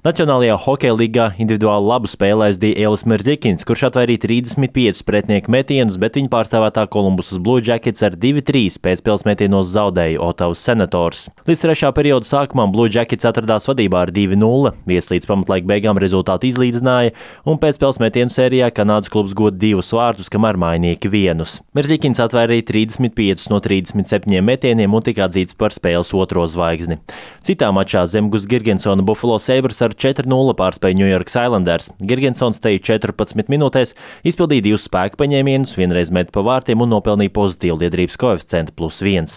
Nacionālajā hokeja līgā individuāli labu spēli aizdīja Ielis Merzikins, kurš atvairīja 35 pretinieku metienus, bet viņa pārstāvētā Kolumbusas Blue Jackets ar 2-3 pēcspēles metienos zaudēja Otavas Senators. Līdz trešā perioda sākumam Blue Jackets atradās vadībā ar 2-0, vieslīdz pamatlaika beigām rezultātu izlīdzināja, un pēcspēles metienu sērijā Kanādas klubs guva 2 vārtus, kamēr mainieki 1. Merzikins atvairīja 35 no 37 metieniem un tika atzīts par spēles otro zvaigzni. Citā mačā Zemgus Girgensona Buffalo Sabres ar 4-0 pārspēja New York Islanders. Girgensons te 14 minūtēs izpildīja 2 spēku paņēmienus, vienreiz meta pa vārtiem un nopelnīja pozitīvu liederības koeficientu +1.